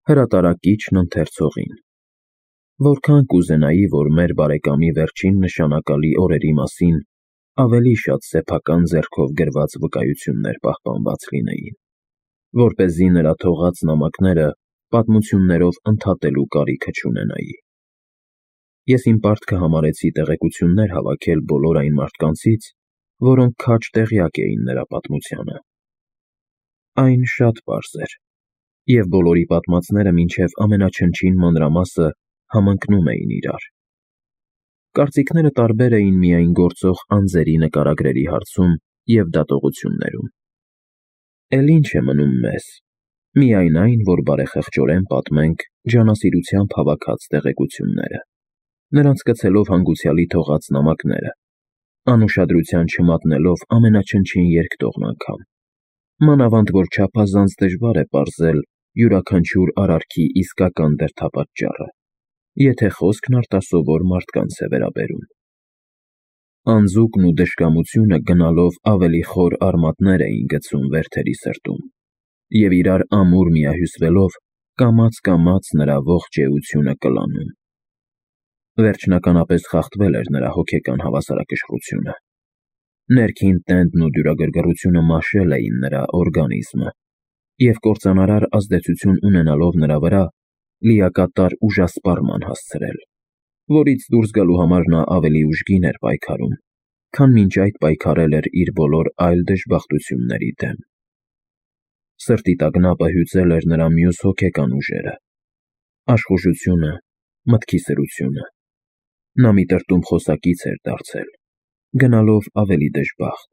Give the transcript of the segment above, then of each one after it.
Հրատարակիչն ընթերցողին. Որքան կուզենայի, որ մեր բարեկամի վերջին նշանակալի օրերի մասին ավելի շատ սեփական ձեռքով գրված վկայություններ պահպանված լինեին, որպեսզի նրա թողած նամակները պատմություններով ընդհատելու կարիքը չունենայի։ Ես իմ պարտքը համարեցի տեղեկություններ հավաքել բոլոր այն մարդկանցից, որոնք քաջ տեղյակ էին նրա պատմությանը։ Այն շատ պարզ էր, և բոլորի պատմածները մինչև ամենաչնչին մանրամասը համընկնում էին իրար։ Կարծիքները տարբեր էին միայն գործող անձերի նկարագրերի հարցում և դատողություններում։ Էլ ինչ է մնում մեզ, միայն այն, որ բարեխղճորեն պատմենք ջանասիրությամբ հավաքած տեղեկությունները, նրանց գցելով հանգուցյալի թողած նամակները, անուշադրության չմատնելով ամենաչնչին երկտողն անգամ, մանավանդ որ չափազանց դժվար է պարզել յուրաքանչյուր արարքի իսկական դրդապատճառը, եթե խոսքն արտասովոր մարդկանց է վերաբերում։ Անձուկն ու դժկամությունը գնալով ավելի խոր արմատներ էին գցում Վերթերի սրտում, և իրար ամուր միահյուսվելով կամաց-կամաց նրա ողջ էությունը կլանում։ Վերջնականապես խախտվել էր նրա հոգեկան հավասարակշռությունը։ Ներքին տենդն ու դյուրագրգռությունը մաշել էին նրա օրգանիզմը, և կործանարար ազդեցություն ունենալով նրա վրա, լիակատար ուժասպառման հասցրել, որից դուրս գալու համար նա ավելի ուժգին էր պայքարում, քան մինչ այդ պայքարել էր իր բոլոր այլ դժբախտությունների դեմ։ Սրտի տագնապը հյուծել էր նրա մյուս հոգեկան ուժերը՝ աշխուժությունը, մտքի սրությունը։ Նա մի տրտում խոսակից էր դարձել, գնալով ավելի դժբախտ,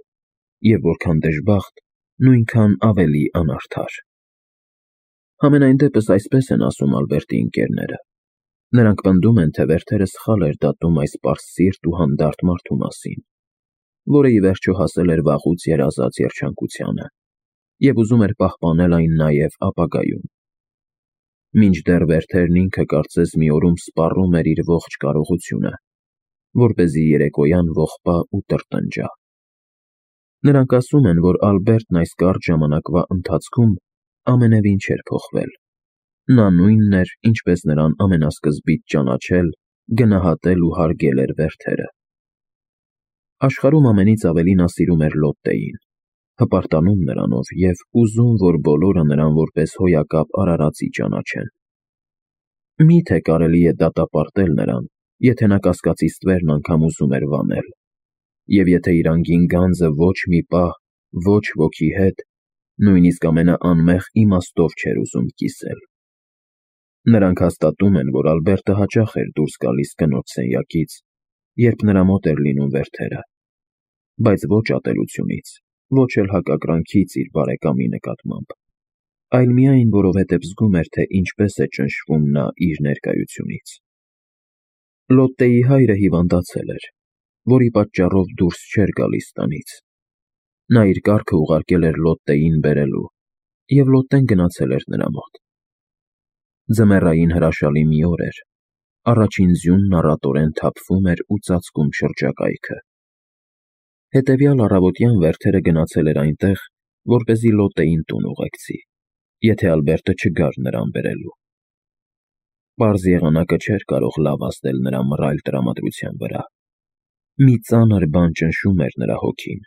և որքան դժբախտ, նույնքան ավելի անարդար։ Համենայն դեպս այսպես են ասում Ալբերտի ընկերները։ Նրանք պնդում են, թե Վերթերը սխալ էր դատում այս պարծսիրտ ու հանդարտ մարդու մասին, որը ի վերջո հասել էր վաղուց երազած երջանկությանը, և ուզում էր պահպանել այն նաև ապագայում։ Մինչդեռ Վերթերն ինքը կարծես մի օրում սպառում էր իր ողջ կարողությունը, որպեսզի երեկոյան ողբա ու տրտնջա։ Նրանք ասում են, որ Ալբերտն այս կարճ ժամանակվա ընթացքում ամենևին չէր փոխվել։ Նա նույնն էր, ինչպես նրան ամենասկզբից ճանաչել, գնահատել ու հարգել էր Վերթերը։ Աշխարհում ամենից ավելի նա սիրում էր Լոտտեին, հպարտանում նրանով և ուզում, որ բոլորը նրան որպես հոյակապ արարածի ճանաչեն։ Մի՞թե կարելի է դատապարտել նրան, եթե նա կասկածի ստվերն անգամ ուզում էր վանել, և եթե իր անգին գանձը ոչ մի պահ ոչ ոքի հետ, նույնիսկ ամենաանմեղ իմաստով չէր ուզում կիսել։ Նրանք հաստատում են, որ Ալբերտը հաճախ էր դուրս գալիս կնոջ սենյակից, երբ նրա մոտ էր լինում Վերթերը, բայց ոչ ատելությունից, ոչ էլ հակակրանքից իր բարեկամի նկատմամբ, այլ միայն որովհետև զգում էր, թե ինչպես է ճնշվում նա իր ներկայությունից։ Լոտտեի հայրը հիվանդացել էր, որի պատճառով դուրս չէր գալիս տնից։ Նա իր կառքը ուղարկել էր Լոտտեին բերելու, և Լոտտեն գնացել էր նրա մոտ։ Ձմեռային հրաշալի մի օր էր, առաջին ձյունն առատորեն թափվում էր ու ծածկում շրջակայքը։ Հետևյալ առավոտյան Վերթերը գնացել էր այնտեղ, որպեսզի Լոտտեին տուն ուղեկցի, եթե Ալբերտը չգար նրան բերելու։ Պարզ եղանակը չէր կարող լավ ազդել նրա մռայլ տրամադրության վրա։ Մի ծանր բան ճնշում էր նրա հոգին։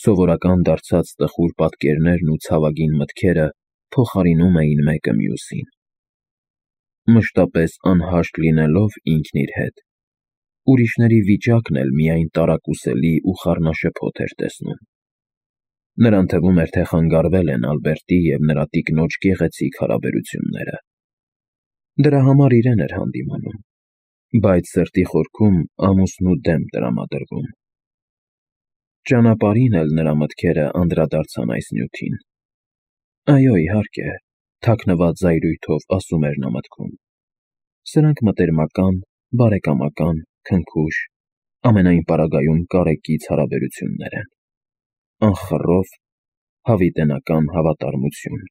Սովորական դարձած տխուր պատկերներն ու ցավագին մտքերը փոխարինում էին մեկը մյուսին։ Մշտապես անհաշտ լինելով ինքն իր հետ, ուրիշների վիճակն էլ միայն տարակուսելի ու խառնաշփոթ էր տեսնում։ Նրան թվում էր, թե խանգարվել են Ալբերտի և նրա տիկնոջ գեղեցիկ հարաբերությունները։ Դրա համար իրեն էր հանդիմանում, բայց սրտի խորքում ամուսնու դեմ տրամադրվում։ Ճանապարհին էլ նրա մտքերը անդրադարձան այս նյութին։ Այո, իհարկե, թաքնված զայրույթով ասում էր նա մտքում։ Սրանք մտերմական, բարեկամական, քնքուշ, ամենայն պարագայում կարեկից հարաբերություններ են։ Անխռով, հավիտենական հավատարմություն։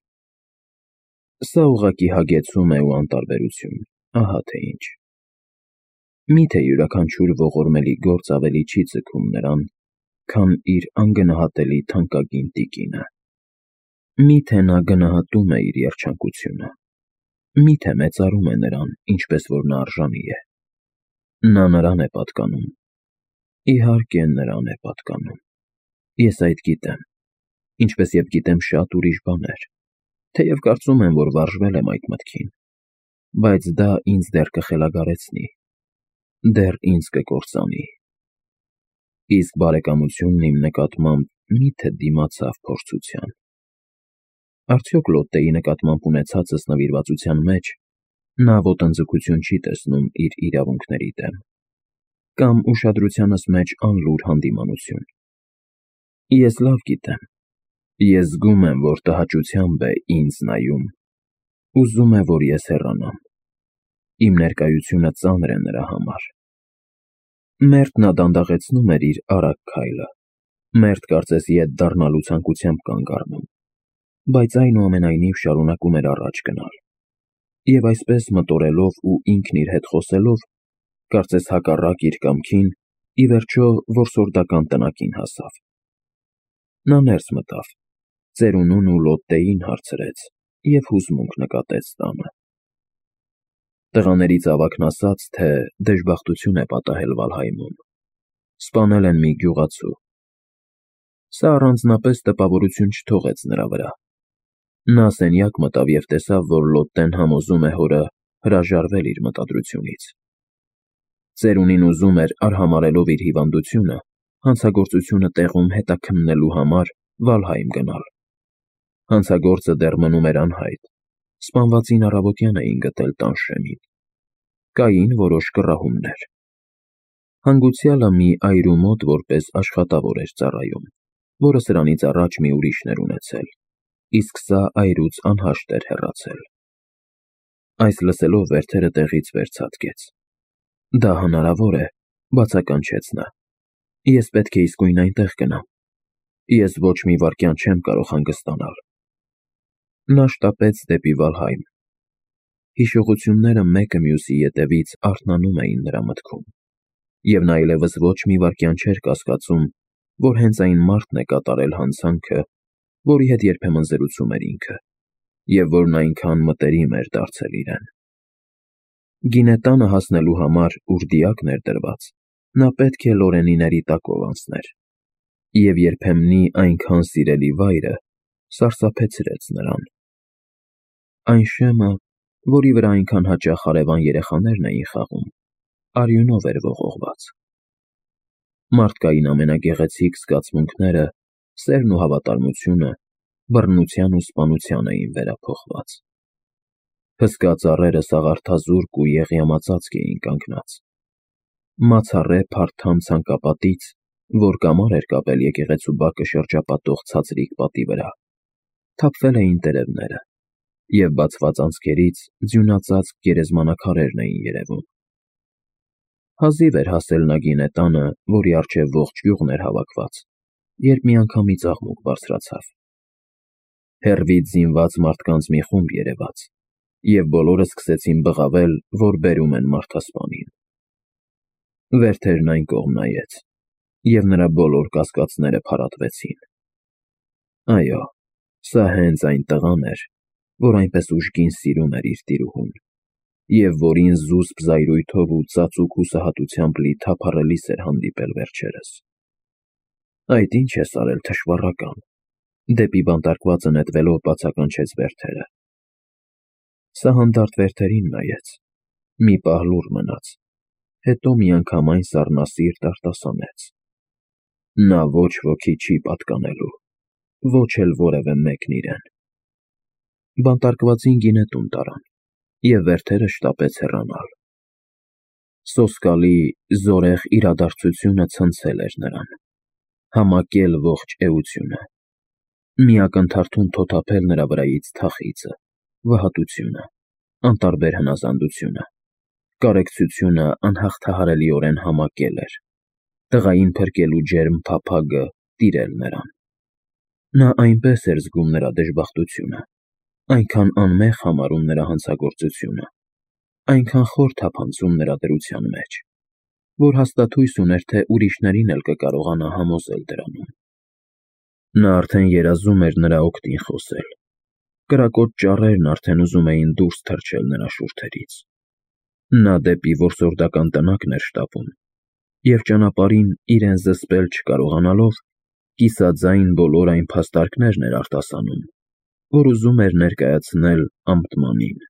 Սա ուղղակի հագեցում է ու անտարբերություն, ահա թե ինչ։ Մի՞թե յուրաքանչյուր ողորմելի գործ ավելի չի ձգում նրան, քան իր անգնահատելի թանկագին տիկինը։ Մի՞թե նա գնահատում է իր երջանկությունը։ Միթե մեծարում է նրան, ինչպես որ նա արժանի է։ Նա նրան է պատկանում։ Իհարկե նրան է պատկանում։ Ես այդ գիտեմ, ինչպես և գիտեմ շատ ուրիշ բաներ, թեև կարծում եմ, որ վարժվել եմ այդ մտքին, բայց դա ինձ դեռ կխելագարեցնի, դեռ ինձ կկործանի։ Իսկ բարեկամությունն իմ նկատմամբ միթե դիմացավ փորձության։ Արդյոք Լոտտեի նկատմամբ ունեցածս նվիրվածության մեջ նա ոտնձգություն չի տեսնում իր իրավունքների դեմ, կամ ուշադրությանս մեջ անլուր հանդիմանություն։ Ես լավ գիտեմ, ես զգում եմ, որ տհաճությամբ է ինձ նայում, ուզում է, որ ես հեռանամ, իմ ներկայությունը ծանր է նրա համար։ Մերթ նա դանդաղեցնում էր իր արագ քայլը, մերթ կարծես ետ դառնալու ցանկությամբ կանգ առնում, բայց այնուամենայնիվ շարունակում էր առաջ գնալ, և այսպես մտորելով ու ինքն իր հետ խոսելով, կարծես հակառակ իր կամքին, ի վերջո որսորդական տնակին հասավ։ Նա ներս մտավ, ծերունուն ու Լոտտեին հարցրեց և հուզմունք նկատեց տանը։ Տղաներից ավագն ասաց, թե դժբախտություն է պատահել Վալհայմում, սպանել են մի գյուղացու։ Սա առանձնապես տպավորություն չթողեց նրա վրա։ Նա սենյակ մտավ և տեսավ, որ Լոտտեն համոզում է հորը հրաժարվել իր մտադրությունից։ Ծերունին ուզում էր, արհամարհելով իր հիվանդությունը, հանցագործությունը տեղում հետաքննելու համար Վալհայմ գնալ։ Հանցագործը դեռ մնում էր անհայտ, սպանվածին առավոտյան էին գտել տան շեմին։ Կային որոշ կռահումներ։ Հանգուցյալը մի այրու մոտ որպես աշխատավոր էր ծառայում, որը սրանից առաջ մի ուրիշն էր ունեցել, իսկ սա այրուց անհաշտ էր հեռացել։ Այս լսելով Վերթերը տեղից վեր ցատկեց։ Դա հնարավոր է, բացականչեց նա։ Ես պետք է իսկույն այնտեղ գնամ։ Ես ոչ մի վայրկյան չեմ կարող հանգստանալ։ Նա շտապեց դեպի Վալհայմ։ Հիշողությունները մեկը մյուսի ետևից արթնանում էին նրա մտքում, և նա այլևս ոչ մի վայրկյան չէր կասկածում, որ հենց այն մարդն է կատարել հանցանքը, որի հետ երբեմն զրուցում էր ինքը, և որն այնքան մտերիմ էր դարձել իրեն։ Գինետանը հասնելու համար, ուր դիակն էր դրված, նա պետք է լորենիների տակով անցներ, և երբեմնի այնքան սիրելի վայրը սարսափեցրեց նրան։ Այն շեմը, որի վրա այնքան հաճախ հարևան երեխաներն էին խաղում, արյունով էր ողողված։ Մարդկային ամենագեղեցիկ զգացմունքները, սերն ու հավատարմությունը, բռնության ու սպանության էին վերափոխված։ Հսկա ծառերը սաղարթազուրկ ու եղյամածածկ էին կանգնած։ Մացառե փարթամ ցանկապատից, որ կամար էր կապել եկեղեցու բակը շրջապատող ցածրիկ պատի վրա, թափվել էին տերևները, և բացված անցքերից ձյունածածկ գերեզմանաքարերն էին երևում։ Հազիվ էր հասել նա գինետանը, որի առջև ողջ գյուղն էր հավաքված, երբ միանգամից աղմուկ բարձրացավ։ Հեռվից զինված մարդկանց մի խումբ երևաց, և բոլորը սկսեցին բղավել, որ բերում են մարդասպանին։ Վերթերն այն կողմ նայեց, և նրա բոլոր կասկածները փարատվեցին։ Այո, սա հենց այն տղան էր, որ այնպես ուժգին սիրում էր իր տիրուհուն, և որին զուսպ զայրույթով ու ծածուկ հուսահատությամբ լի թափառելիս էր հանդիպել վերջերս։ Այդ ի՞նչ ես արել, թշվառական, դեպի բանտարկվածը նետվելով բացականչեց Վերթերը։ Սա հանդարտ Վերթերին նայեց, մի պահ լուռ մնաց, հետո միանգամայն սառնասիրտ արտասանեց. նա ոչ ոքի չի պատկանելու, ոչ էլ որևէ մեկն իրեն։ Բանտարկվածին գինետուն տարան, և Վերթերը շտապեց հեռանալ։ Սոսկալի, զորեղ իրադարձությունը ցնցել էր նրան, համակել ողջ էությունը, մի ակնթարթում թոթափել նրա վրայից թախիծը, վհատությունը, անտարբեր հնազանդությունը, կարեկցությունը անհաղթահարելիորեն համակել էր, տղային փրկելու ջերմ փափագը տիրել նրան։ Նա այնպես էր զգում նրա դժբախտությունը, այնքան անմեղ համարում նրա հանցագործությունը, այնքան խոր թափանցում նրա դրության մեջ, որ հաստատույց ուներ, թե ուրիշներին էլ կկարողանա համոզել դրանում։ Նա արդեն երազում էր նրա օգտին խոսել, Կրակոտ ճառերն արդեն ուզում էին դուրս թռչել նրա շուրթերից։ Նա դեպի որսորդական տնակն էր շտապում, և ճանապարհին իրեն զսպել չկարողանալով, կիսաձայն բոլոր այն փաստարկներն էր արտասանում, որ ուզում էր ներկայացնել Ամտմանին։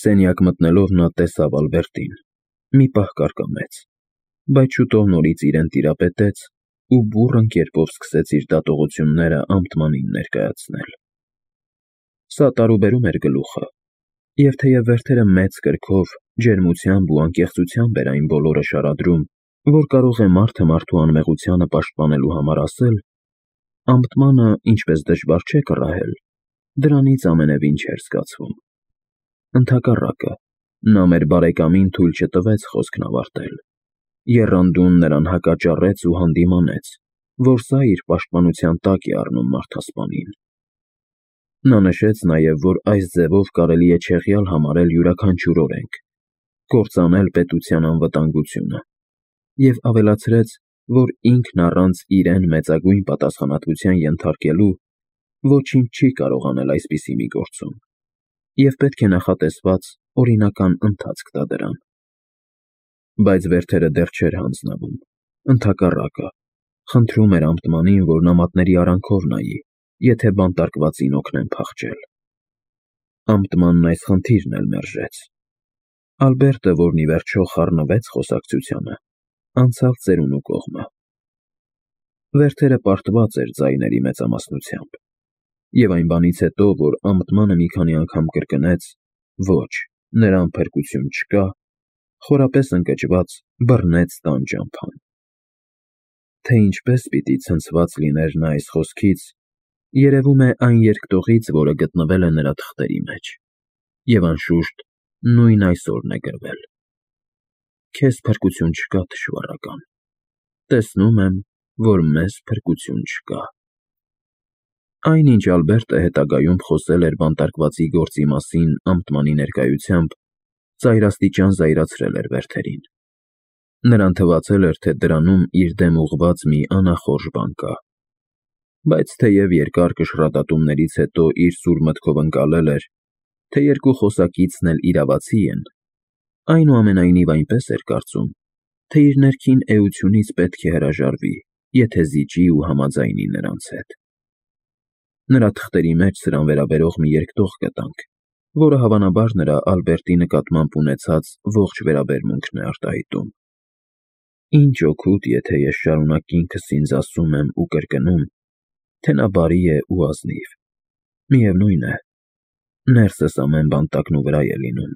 Սենյակ մտնելով նա տեսավ Ալբերտին, մի պահ կարկամեց, բայց շուտով նորից իրեն տիրապետեց ու բուռն կերպով սկսեց իր դատողությունները Ամտմանին ներկայացնել։ Սա տարուբերում էր գլուխը, և թեև Վերթերը մեծ կրքով, ջերմությամբ ու անկեղծությամբ էր այն բոլորը շարադրում, որ կարող է մարդը մարդու անմեղությանը պաշտպանելու համար ասել, Ամտմանը, ինչպես դժվար չէ կռահել, դրանից ամենևին չէր զգացվում։ Ընդհակառակը, նա մեր բարեկամին թույլ չտվեց խոսքն ավարտել, եռանդուն նրան հակաճառեց ու հանդիմանեց, որ սա իր պաշտպանության տակ է առնում մարդասպանին։ Նա նշեց նաև, որ այս ձևով կարելի է չեղյալ համարել յուրաքանչյուր օրենք, կործանել պետության անվտանգությունը, և ավելացրեց, որ ինքն առանց իրեն մեծագույն պատասխանատվության ենթարկելու ոչինչ չի կարող անել այսպիսի մի գործում, և պետք է նախատեսված օրինական ընթացք տա դրան։ Բայց Վերթերը դեռ չէր հանձնվում, ընդհակառակը, խնդրում էր Ամտմանին, որ նամակների արանքով նայի, եթե բանտարկվածին օգնեն փախչել։ Ամտմանն այս խնդիրն էլ մերժեց։ Ալբերտը, որն ի վերջո խառնվեց խոսակցությանը, անցավ ծերունու կողմը։ Վերթերը պարտված էր ձայների մեծամասնությամբ, և այն բանից հետո, որ Ամտմանը մի քանի անգամ կրկնեց «ոչ, նրան փրկություն չկա», խորապես ընկճված բռնեց տան ճամփան։ Թե ինչպես պիտի ցնցված լիներ նա այս խոսքից, երևում է այն երկտողից, որը գտնվել է նրա թղթերի մեջ, և անշուշտ նույն այսօրն է գրվել. «Քեզ փրկություն չկա, թշվառական, տեսնում եմ, որ մեզ փրկություն չկա»։ Այնինչ Ալբերտը հետագայում խոսել էր բանտարկվածի գործի մասին Ամտմանի ներկայությամբ, ծայրաստիճան զայրացրել էր Վերթերին։ Նրան թվացել էր, թե դրանում իր դեմ ուղղված մի անախորժ բան կա։ Բայց թեև երկար կշռադատումներից հետո իր սուր մտքով ընկալել էր, թե երկու խոսակիցն էլ իրավացի են, այնուամենայնիվ այնպես էր կարծում, թե իր ներքին էությունից պետք է հրաժարվի, եթե զիջի ու համաձայնի նրանց հետ։ Նրա թղթերի մեջ սրան վերաբերող մի երկտող գտանք, որը հավանաբար նրա Ալբերտի նկատմամբ ունեցած ողջ վերաբերմունքն է արտահայտում։ Ինչ օգուտ, եթե ես շարունակ ինքս ինձ ասում եմ ու կրկնում, թե նա բարի է ու ազնիվ։ Միևնույն է, ներսս ամեն բան տակնուվրա է լինում։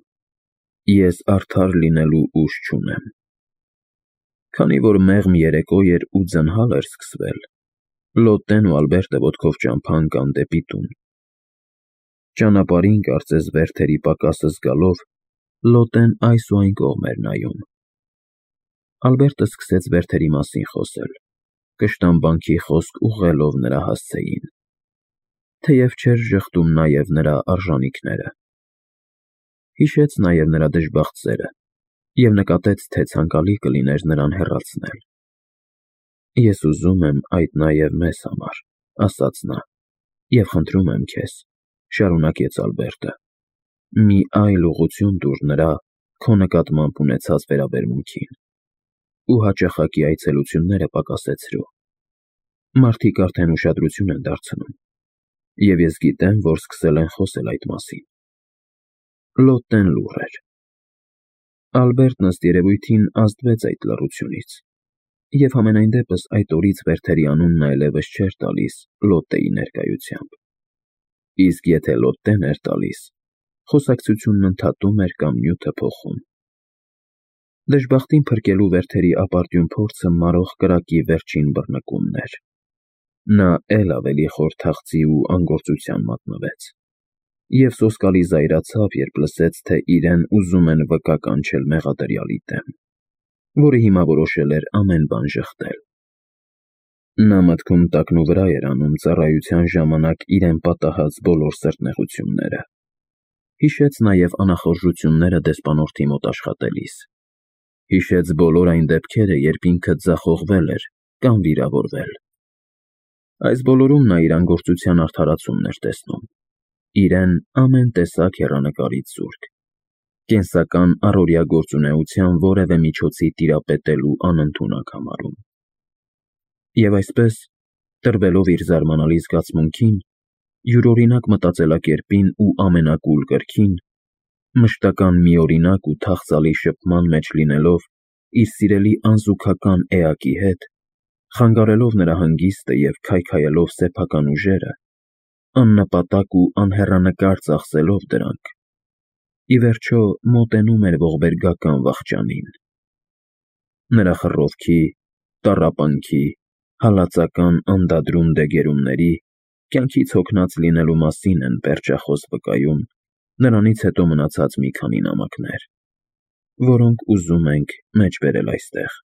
Ես արդար լինելու ուժ չունեմ։ Քանի որ մեղմ երեկո էր ու ձնհալ էր սկսվել, Լոտտեն ու Ալբերտը ոտքով ճամփա ընկան դեպի տուն։ Ճանապարհին, կարծես Վերթերի պակասը զգալով, Լոտտեն այս ու այն կողմ էր նայում։ Ալբերտը սկսեց Վերթերի մասին խոսել, կշտամբանքի խոսք ուղղելով նրա հասցեին, թեև չէր ժխտում նաև նրա արժանիքները։ Հիշեց նաև նրա դժբախտ սերը և նկատեց, թե ցանկալի կլիներ նրան հեռացնել։ «Ես ուզում եմ այդ նաև մեզ համար», ասաց նա, «և խնդրում եմ քեզ», շարունակեց Ալբերտը, «մի այլ ուղղություն տուր նրա քո նկատմամբ ունեցած վերաբերմունքին ու հաճախակի այցելությունները պակասեցրու։ Մարդիկ արդեն ուշադրություն են դարձնում, և ես գիտեմ, որ սկսել են խոսել այդ մասին»։ Լոտտեն լուռ էր։ Ալբերտն ըստ երևույթին ազդվեց այդ լռությունից, և համենայն դեպս այդ օրից Վերթերի անունն այլևս չէր տալիս Լոտտեի ներկայությամբ։ Իսկ եթե Լոտտեն էր տալիս, խոսակցությունն ընդհատում էր կամ նյութը փոխում։ Դժբախտին փրկելու Վերթերի ապարդյուն փորձը մարող կրակի վերջին բռնկումն էր։ Նա էլ ավելի խոր թախծի ու անգործության մատնվեց, և սոսկալի զայրացավ, երբ լսեց, թե իրեն ուզում են վկա կանչել մեղադրյալի դեմ, որը հիմա որոշել էր ամեն բան ժխտել։ Նա մտքում տակնուվրա էր անում ծառայության ժամանակ իրեն պատահած բոլոր սրտնեղությունները։ Հիշեց նաև անախորժությունները դեսպանորդի մոտ աշխատելիս։ Հիշեց բոլոր այն դեպքերը, երբ ինքը ձախողվել էր կամ վիրավորվել։ Այս բոլորում նա իր անգործության արդարացումն էր տեսնում։ իրեն ամեն տեսակ հեռանկարից զուրկ, կենսական առօրյա գործունեության որևէ միջոցի տիրապետելու անընդունակ համարում։ Եվ այսպես, տրվելով իր զարմանալի զգացմունքին, յուրօրինակ մտածելակերպին ու ամենակուլ կրքին, մշտական միօրինակ ու թախծալի շփման մեջ լինելով իր սիրելի անզուգական էակի հետ, խանգարելով նրա հանգիստը և քայքայելով սեփական ուժերը, աննպատակ ու անհեռանկար ծախսելով դրանք, ի վերջո մոտենում էր ողբերգական վախճանին։ Նրա խռովքի, տառապանքի, հալածական անդադրուն դեգերումների, կյանքից հոգնած լինելու մասին են պերճախոս վկայում նրանից հետո մնացած մի քանի նամակներ, որոնք ուզում ենք մեջբերել այստեղ։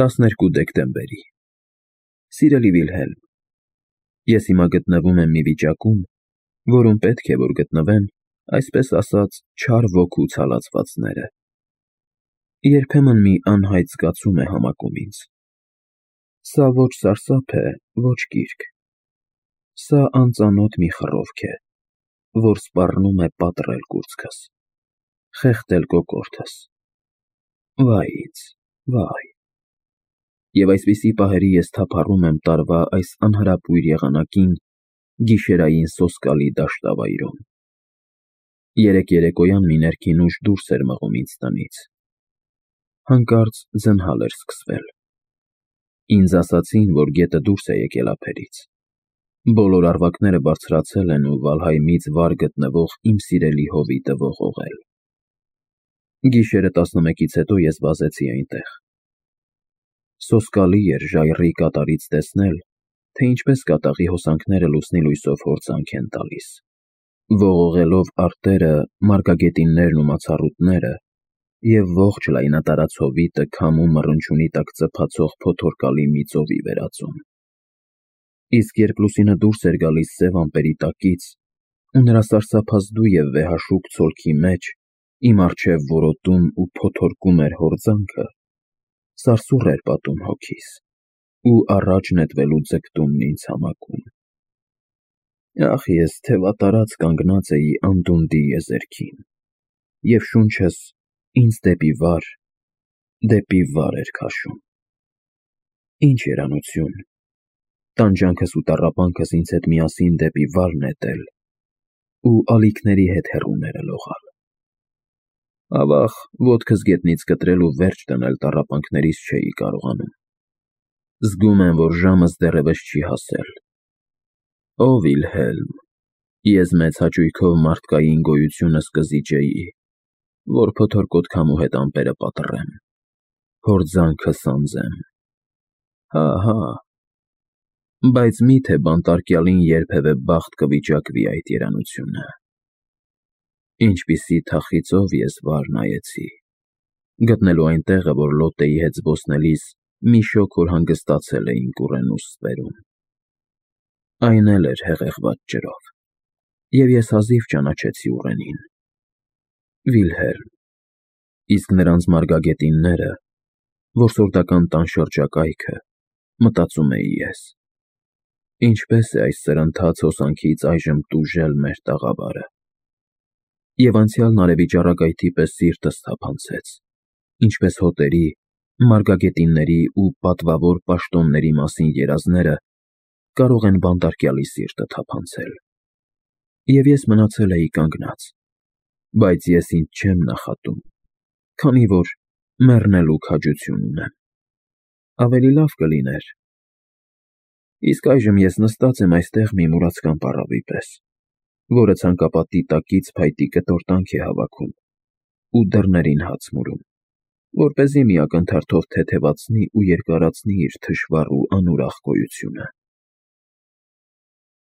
12 դեկտեմբերի Սիրելի Վիլհելմ, ես հիմա գտնվում եմ մի վիճակում, որում պետք է որ գտնվեն, այսպես ասած, չար ոգու ցալածվածները։ Երբեմն մի անհայտ զգացում է համակում ինձ։ Սա ոչ սարսափ է, ոչ կիրք։ Սա անծանոթ մի խռովք է, որ սպառնում է պատռել կուրծքս, խեղդել կոկորդս։ Վայ ինձ, վայ։ Եվ այսպիսի պահերի ես թափառում եմ տարվա այս անհրապույր եղանակին գիշերային սոսկալի դաշտավայրում։ Երեկ երեկոյան մի ներքին ուժ դուրս էր մղում ինձ տնից։ Հանկարծ ձնհալ էր սկսվել։ Ինձ ասացին, որ գետը դուրս է եկել ափերից։ Բոլոր արվակները բարձրացել են ու Վալհայմից վար գտնվող իմ սիրելի հովիտը ողողել։ Գիշերը 11-ից հետո ես վազեցի այնտեղ։ Սոսկալի էր ժայռի կատարից տեսնել, թե ինչպես կատաղի հոսանքները լուսնի լույսով հորձանք են տալիս, ողողելով արտերը, մարգագետիններն ու մացառուտները, և ողջ լայնատարած հովիտը քամու մռնչյունի տակ ծփացող փոթորկալի մի ծովի վերածում։ Իսկ երբ լուսինը դուրս էր գալիս սև ամպերի տակից, ու նրա սարսափազդու և վեհաշուկ ցոլքի մեջ իմ առջև որոտում ու փոթորկում էր հորձանքը, սարսուռ էր պատում հոգիս, ու առաջ նետվելու ձգտումն ինձ համակում։ Ախ, ես թևատարած կանգնած էի անդունդի եզերքին, և շունչս ինձ դեպի վար էր քաշում։ Ինչ երանություն, տանջանքս ու տառապանքս ինձ հետ միասին դեպի վար նետել ու ալիքների հետ հեռուները լողալ։ Ավաղ, ոտքս գետնից կտրել ու վերջ դնել տառապանքներիս չէի կարողանում։ Զգում եմ, որ ժամս դեռևս չի հասել։ Ո Վիլհելմ, ես մեծ հաճույքով մարդկային գոյությունս կզիջեի, որ փոթորկոտ քամու հետ ամպերը պատռեմ, հորձանքը սանձեմ։ Հա, բայց մի՞թե բանտարկյալին երբևէ բախտ կվիճակվի այդ երանությունը։ Ինչպիսի թախիծով ես վար նայեցի, գտնելու այն տեղը, որ Լոտեի հետ զբոսնելիս մի շոգ օր հանգստացել էինք Կուրենուս ստվերում։ Այն էլ էր հեղեղված ջրով, և ես հազիվ ճանաչեցի ուռենին։ Վիլհելմ, իսկ նրանց մարգագետինները, որսորդական տան շրջակայքը, մտածում էի ես, ինչպես է այս սրընթաց հոսանքից այժմ տուժել մեր տաղավարը։ Եվ անցյալն արևի ճառագայթի պես սիրտս թափանցեց, ինչպես հոտերի, մարգագետինների ու պատվավոր պաշտոնների մասին երազները կարող են բանտարկյալի սիրտը թափանցել։ Եվ ես մնացել էի կանգնած, բայց ես ինձ չեմ նախատում, քանի որ մեռնելու քաջություն ունեմ։ Ավելի լավ կլիներ։ Իսկ այժմ ես նստած եմ այստեղ մի մուրացկան պառավի պես, որը ցանկապատի տակից փայտի կտորտանք է հավաքում ու դռներին հաց մուրում, որպեսզի մի ակնթարթով թեթևացնի ու երկարացնի իր թշվառ ու անուրախ գոյությունը։